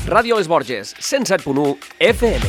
Ràdio Les Borges, 107.1 FM.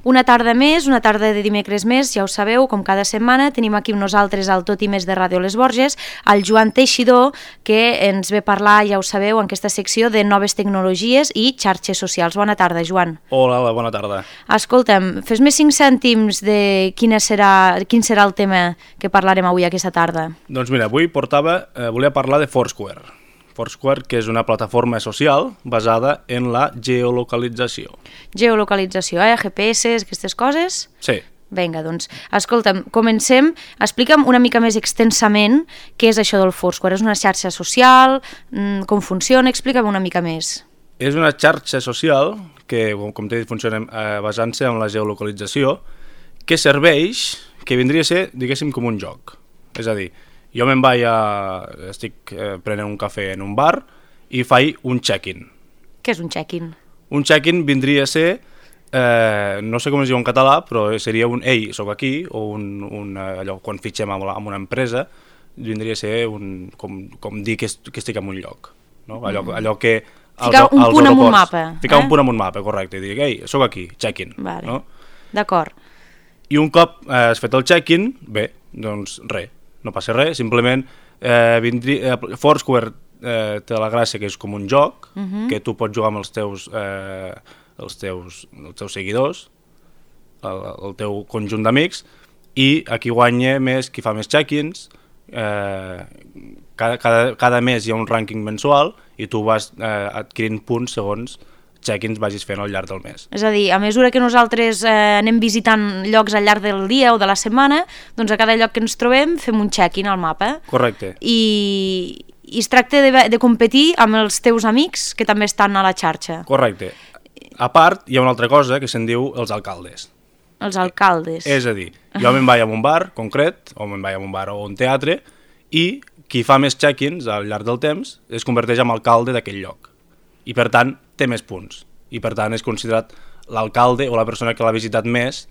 Una tarda més, una tarda de dimecres més, ja ho sabeu, com cada setmana, tenim aquí amb nosaltres al Tot i Més de Ràdio Les Borges, el Joan Teixidor, que ens ve parlar, ja ho sabeu, en aquesta secció de noves tecnologies i xarxes socials. Bona tarda, Joan. Hola, bona tarda. Escolta'm, fes-me 5 cèntims de quin serà el tema que parlarem avui aquesta tarda. Doncs mira, avui volia parlar de Foursquare. Foursquare, que és una plataforma social basada en la geolocalització. Geolocalització, GPS, aquestes coses? Sí. Vinga, doncs, escolta'm, comencem. Explica'm una mica més extensament què és això del Foursquare. És una xarxa social? Com funciona? Explica'm una mica més. És una xarxa social que, com t'he dit, funciona basant-se en la geolocalització, que serveix, que vindria a ser, diguéssim, com un joc. És a dir, jo estic prenent un cafè en un bar i faig un check-in. Què és un check-in? Un check-in vindria a ser, no sé com es diu en català, però seria un ei, soc aquí, o allò, quan fitxem amb una empresa, vindria a ser com dir que estic en un lloc. No? Allò que... Ficar un punt en un mapa. Ficar un punt en un mapa, correcte, i dir, ei, soc aquí, check-in. Vale. No? D'acord. I un cop has fet el check-in, bé, doncs res. No passa res, simplement Foursquare té la gràcia que és com un joc, que tu pots jugar amb els teus seguidors, el teu conjunt d'amics, i qui guanya més, qui fa més check-ins, cada mes hi ha un rànquing mensual i tu vas adquirint punts segons check-ins vagis fent al llarg del mes. És a dir, a mesura que nosaltres anem visitant llocs al llarg del dia o de la setmana, doncs a cada lloc que ens trobem fem un check-in al mapa. Correcte. I es tracta de competir amb els teus amics que també estan a la xarxa. Correcte. A part, hi ha una altra cosa que se'n diu els alcaldes. Els alcaldes. És a dir, jo me'n vaig a un bar concret, o me'n vaig a un bar o un teatre, i qui fa més check-ins al llarg del temps es converteix en alcalde d'aquell lloc. I per tant té més punts i per tant és considerat l'alcalde o la persona que l'ha visitat més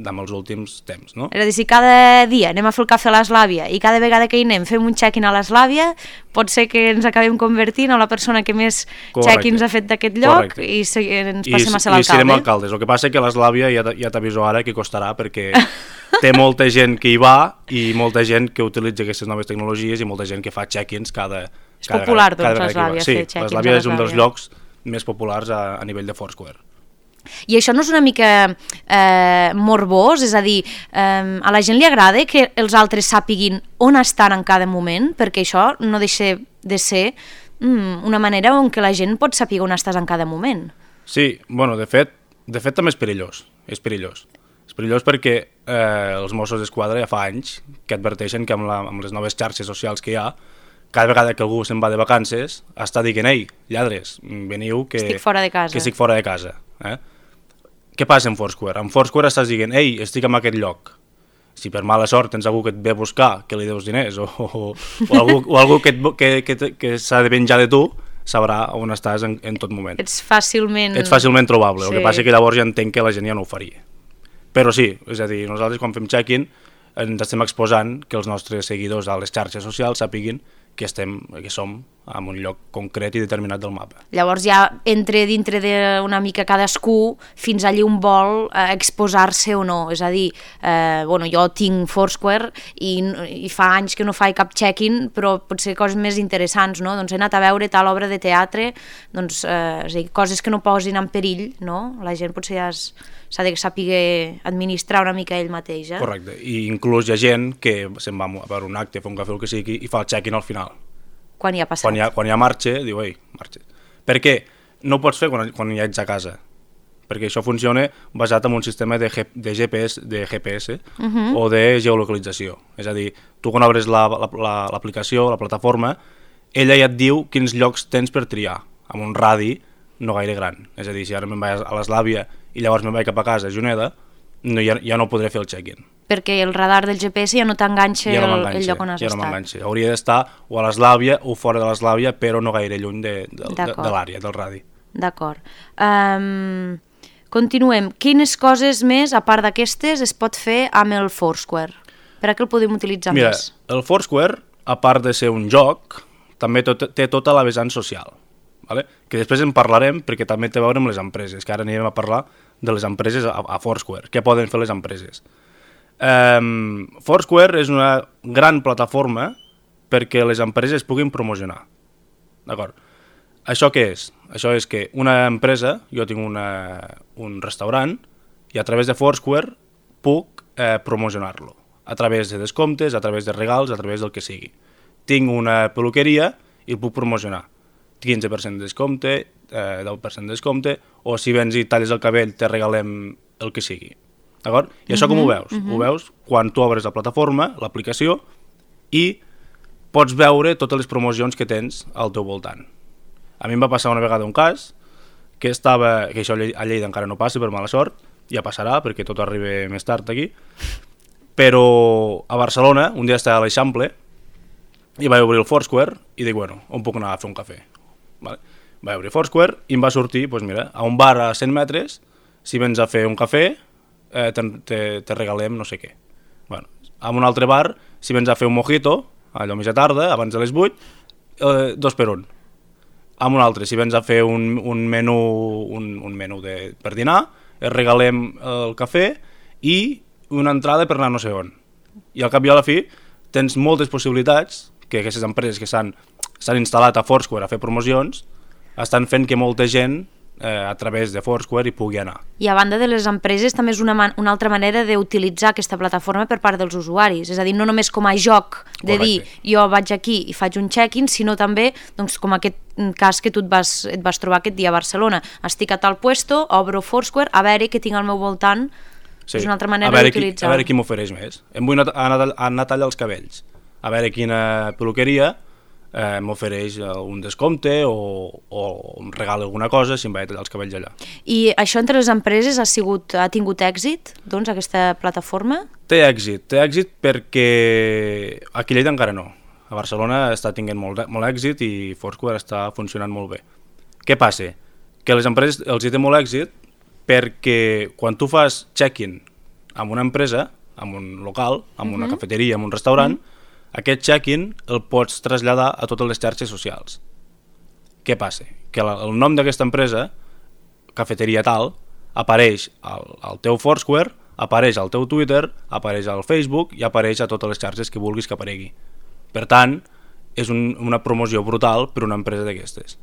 amb els últims temps, no? És a dir, si cada dia anem a fer el cafè a l'Eslàvia i cada vegada que hi anem fem un check-in a l'Eslàvia, pot ser que ens acabem convertint en la persona que més check-ins ha fet d'aquest lloc. Correcte. I ens passem a ser l'alcalde. I serem alcaldes. El que passa és que l'Eslàvia ja t'aviso ara que costarà perquè té molta gent que hi va i molta gent que utilitza aquestes noves tecnologies i molta gent que fa check-ins cada És popular, doncs, l'Eslàvia, fer check-ins. Sí, l'Eslàvia és un dels llocs més populars a nivell de Foursquare. I això no és una mica morbós? És a dir, a la gent li agrada que els altres sàpiguin on estan en cada moment? Perquè això no deixa de ser una manera en què la gent pot saber on estàs en cada moment. Sí, bueno, de fet també és perillós. És perillós perquè els Mossos d'Esquadra ja fa anys que adverteixen que amb les noves xarxes socials que hi ha, cada vegada que algú se'n va de vacances està dient, ei, lladres, veniu que estic fora de casa. Que estic fora de casa. Què passa amb Foursquare? Amb Foursquare estàs dient, ei, estic en aquest lloc. Si per mala sort tens algú que et ve a buscar, que li deus diners, o algú que s'ha de venjar de tu, sabrà on estàs en tot moment. Ets fàcilment trobable. Sí. El que passa que llavors ja entenc que la gent ja no ho faria. Però sí, és a dir, nosaltres quan fem check-in ens estem exposant que els nostres seguidors a les xarxes socials sàpiguin que som en un lloc concret i determinat del mapa. Llavors ja entra dintre d'una mica cadascú fins allí on vol exposar-se o no. És a dir, jo tinc Foursquare i fa anys que no faig cap check-in, però potser coses més interessants, no? Doncs he anat a veure tal obra de teatre, doncs, és a dir, coses que no posin en perill, no? La gent potser ja s'ha de saber administrar una mica ell mateix. Correcte, i inclús hi ha gent que se'n va a veure un acte, fer un cafè o el que sigui, i fa el check-in al final. Quan hi ha passat. Quan hi ha marxa, diu, ei, marxa. Per què? No ho pots fer quan ja ets a casa, perquè això funciona basat en un sistema de GPS o de geolocalització. És a dir, tu quan obres l'aplicació, la plataforma, ella ja et diu quins llocs tens per triar, amb un radi no gaire gran. És a dir, si ara me'n vaig a l'Eslàvia i llavors me'n vaig cap a casa a Juneda, ja no podré fer el check-in. Perquè el radar del GPS ja no t'enganxa el lloc on has estat. Ja no m'enganxa. Hauria d'estar o a l'Eslàvia o fora de l'Eslàvia, però no gaire lluny de l'àrea, del radi. D'acord. Continuem. Quines coses més, a part d'aquestes, es pot fer amb el Foursquare? Per a què el podem utilitzar més? Mira, el Foursquare a part de ser un joc, també té tota la vessant social, vale? Que després en parlarem perquè també té a veure amb les empreses, que ara anirem a parlar de les empreses a Foursquare, què poden fer les empreses. Foursquare és una gran plataforma perquè les empreses puguin promocionar. D'acord? Això què és? Això és que una empresa, jo tinc un restaurant, i a través de Foursquare puc promocionar-lo. A través de descomptes, a través de regals, a través del que sigui. Tinc una peluqueria i el puc promocionar. 15% de descompte, 10% de descompte, o si vens i talles el cabell te regalem el que sigui. D'acord? I això com ho veus? Ho veus quan tu obres la plataforma, l'aplicació, i pots veure totes les promocions que tens al teu voltant. A mi em va passar una vegada un cas que això a Lleida encara no passa per mala sort, ja passarà perquè tot arriba més tard aquí, però a Barcelona un dia estava a l'Eixample i vaig obrir el Foursquare i dic, bueno, on puc anar a fer un cafè? Vale. Vaig obrir Foursquare i em va sortir, doncs mira, a un bar a 100 metres, si vens a fer un cafè, te regalem no sé què. Bueno, a un altre bar, si vens a fer un mojito, allò mitja tarda, abans de les 8, 2 per 1. A un altre, si vens a fer un menú per dinar, et regalem el cafè i una entrada per anar no sé on. I al cap i a la fi tens moltes possibilitats que aquestes empreses que s'han instal·lat a Foursquare a fer promocions estan fent que molta gent a través de Foursquare hi pugui anar. I a banda de les empreses també és una altra manera d'utilitzar aquesta plataforma per part dels usuaris, és a dir, no només com a joc de dir jo vaig aquí i faig un check-in, sinó també doncs, com aquest cas que tu et vas trobar aquest dia a Barcelona. Estic a tal puesto, obro Foursquare, a veure què tinc al meu voltant. Sí. És una altra manera d'utilitzar. A veure qui m'ofereix més. Em vull anar a tallar els cabells. A veure quina peluqueria m'ofereix un descompte o em regala alguna cosa si em vaig a tallar els cabells allà. I això entre les empreses ha tingut èxit, doncs, aquesta plataforma? Té èxit perquè aquí a Lleida encara no. A Barcelona està tinguent molt èxit i Foursquare està funcionant molt bé. Què passa? Que a les empreses els hi té molt èxit perquè quan tu fas check-in amb una empresa, amb un local, amb una cafeteria, amb un restaurant, aquest check-in el pots traslladar a totes les xarxes socials. Què passa? Que el nom d'aquesta empresa, cafeteria tal, apareix al teu Foursquare, apareix al teu Twitter, apareix al Facebook i apareix a totes les xarxes que vulguis que aparegui. Per tant, és una promoció brutal per una empresa d'aquestes.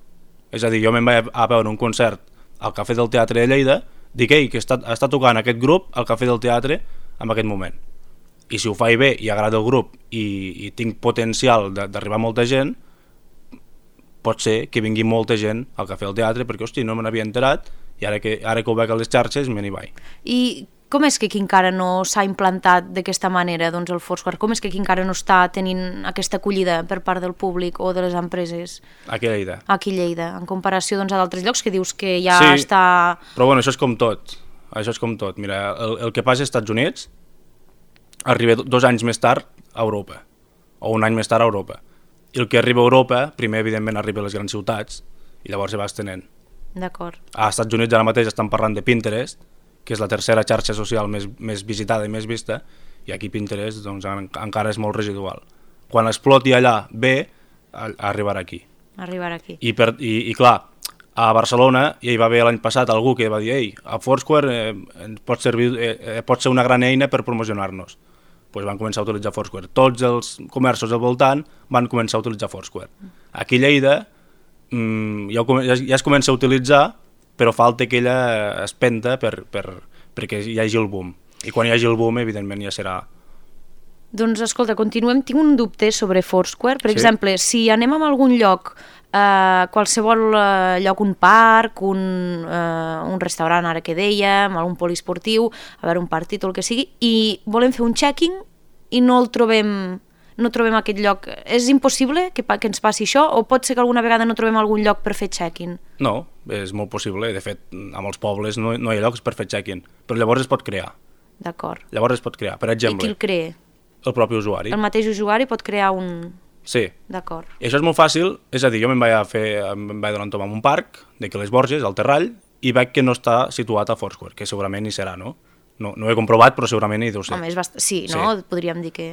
És a dir, jo me'n vaig a veure un concert al Cafè del Teatre de Lleida, dic, que està tocant aquest grup al Cafè del Teatre en aquest moment. I si ho faig bé i agrada el grup i tinc potencial d'arribar a molta gent, pot ser que vingui molta gent al Cafè del Teatre perquè, hosti, no me n'havia enterat i ara que ho veig a les xarxes me n'hi vaig. I com és que aquí encara no s'ha implantat d'aquesta manera, doncs, el Foursquare? Com és que aquí encara no està tenint aquesta acollida per part del públic o de les empreses? Aquí a Lleida. Aquí a Lleida, en comparació doncs, a d'altres llocs que dius que ja està... Però bueno, això és com tot. Mira, el que passa als Estats Units arriba 2 anys més tard a Europa, o 1 any més tard a Europa. I el que arriba a Europa, primer evidentment arriba a les grans ciutats, i llavors se va estenent. D'acord. Als Estats Units ara mateix estan parlant de Pinterest, que és la tercera xarxa social més visitada i més vista, i aquí Pinterest doncs, encara és molt residual. Quan exploti allà bé, arribarà aquí. I clar, a Barcelona ja hi va haver l'any passat algú que va dir a Foursquare pot ser una gran eina per promocionar-nos. Doncs van començar a utilitzar Foursquare. Tots els comerços al voltant van començar a utilitzar Foursquare. Aquí a Lleida ja es comença a utilitzar, però falta aquella espenta perquè hi hagi el boom. I quan hi hagi el boom, evidentment, ja serà... Doncs, escolta, continuem. Tinc un dubte sobre Foursquare. Per exemple, si anem a algun lloc, qualsevol lloc, un parc, un restaurant, ara que dèiem, algun poliesportiu, a veure, un partit o el que sigui, i volem fer un check-in i no trobem aquest lloc. És impossible que ens passi això o pot ser que alguna vegada no trobem algun lloc per fer check-in? No, és molt possible. De fet, a molts pobles no hi ha llocs per fer check-in, però llavors es pot crear. D'acord. Llavors es pot crear, per exemple... I qui el crea? El propi usuari. El mateix usuari pot crear un... Sí. D'acord. I això és molt fàcil, és a dir, jo em vaig donar un tom en un parc, d'aquí les Borges, al Terrall, i veig que no està situat a Foursquare, que segurament hi serà, no? No ho he comprovat, però segurament hi deu ser. Home, sí, no? Sí. Podríem dir que...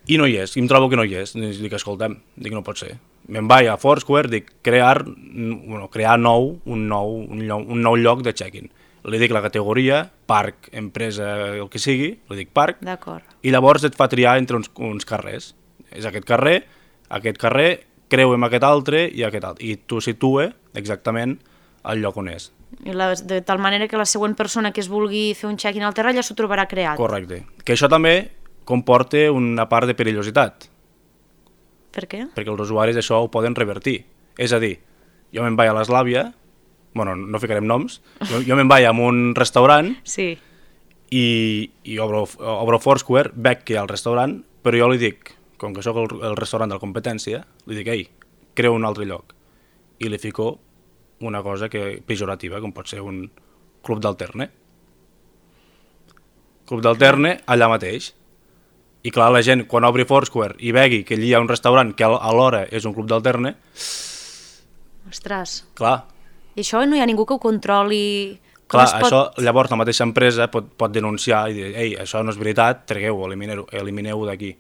I no hi és, i em trobo que no hi és. Dic, escolta'm, no pot ser. Me'n vaig a Foursquare, dic, crear un nou lloc de check-in. Li dic la categoria, parc, empresa, el que sigui, li dic parc, i llavors et fa triar entre uns carrers. És aquest carrer, creu amb aquest altre i aquest altre. I t'ho situa exactament al lloc on és. De tal manera que la següent persona que es vulgui fer un check-in al terra ja s'ho trobarà creat. Correcte. Que això també comporta una part de perillositat. Per què? Perquè els usuaris això ho poden revertir. És a dir, jo me'n vaig a l'Eslàvia, bueno, no ficarem noms, jo me'n vaig a un restaurant i obro Foursquare, veig que hi ha el restaurant, però jo li dic, com que sóc el restaurant de la competència, li dic, ei, creu un altre lloc. I li fico una cosa pejorativa, com pot ser un club d'alterne. Club d'alterne allà mateix. I clar, la gent, quan obri Foursquare i vegi que allí hi ha un restaurant que alhora és un club d'alterne... Ostres. Clar. I això no hi ha ningú que ho controli... Clar, això llavors la mateixa empresa pot denunciar i dir, ei, això no és veritat, tregueu-ho, elimineu-ho d'aquí.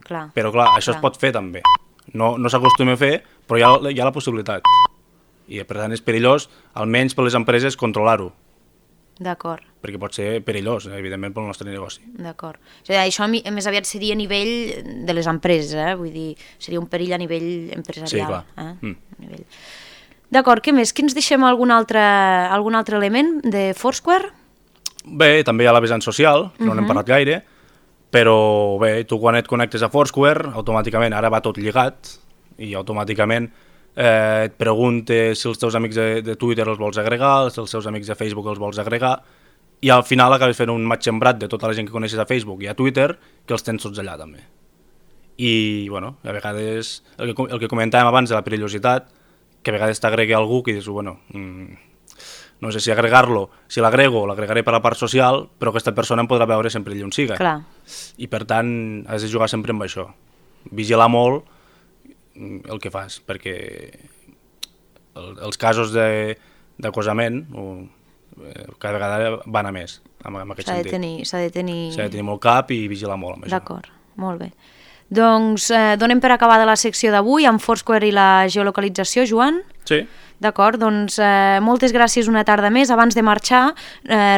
Però clar, això es pot fer també. No s'acostuma a fer, però hi ha la possibilitat. I per tant és perillós, almenys per les empreses, controlar-ho. D'acord. Perquè pot ser perillós, evidentment, pel nostre negoci. D'acord. Això més aviat seria a nivell de les empreses, vull dir, seria un perill a nivell empresarial. Sí, clar. D'acord, què més? Que ens deixem algun altre element de Foursquare? Bé, també hi ha la vessant social, no n'hem parlat gaire, però bé, tu quan et connectes a Foursquare, automàticament ara va tot lligat, i automàticament et pregunta si els teus amics de Twitter els vols agregar, si els teus amics de Facebook els vols agregar, i al final acabes fent un match embrat de tota la gent que coneixes a Facebook i a Twitter, que els tens tots allà també. I, bueno, a vegades, el que comentàvem abans de la perillositat, que a vegades t'agregui algú que dius, bueno, no sé si agregar-lo, si l'agrego, l'agregaré per la part social, però aquesta persona em podrà veure sempre allà on siga. Clar. I per tant, has de jugar sempre amb això. Vigilar molt el que fas, perquè els casos d'acosament cada vegada van a més en aquest sentit. S'ha de tenir molt cap i vigilar molt amb això. D'acord, molt bé. Doncs donem per acabada la secció d'avui amb Foursquare i la geolocalització, Joan? Sí. D'acord, doncs moltes gràcies una tarda més. Abans de marxar,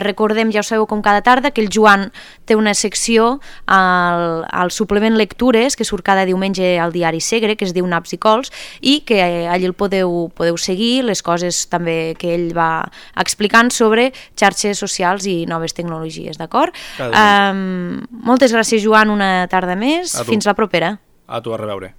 recordem, ja ho sabeu com cada tarda, que el Joan té una secció al suplement Lectures, que surt cada diumenge al diari Segre, que es diu Naps i Cols, i que allí el podeu seguir, les coses també que ell va explicant sobre xarxes socials i noves tecnologies, d'acord? Moltes gràcies, Joan, una tarda més. Fins la propera. A tu, a reveure.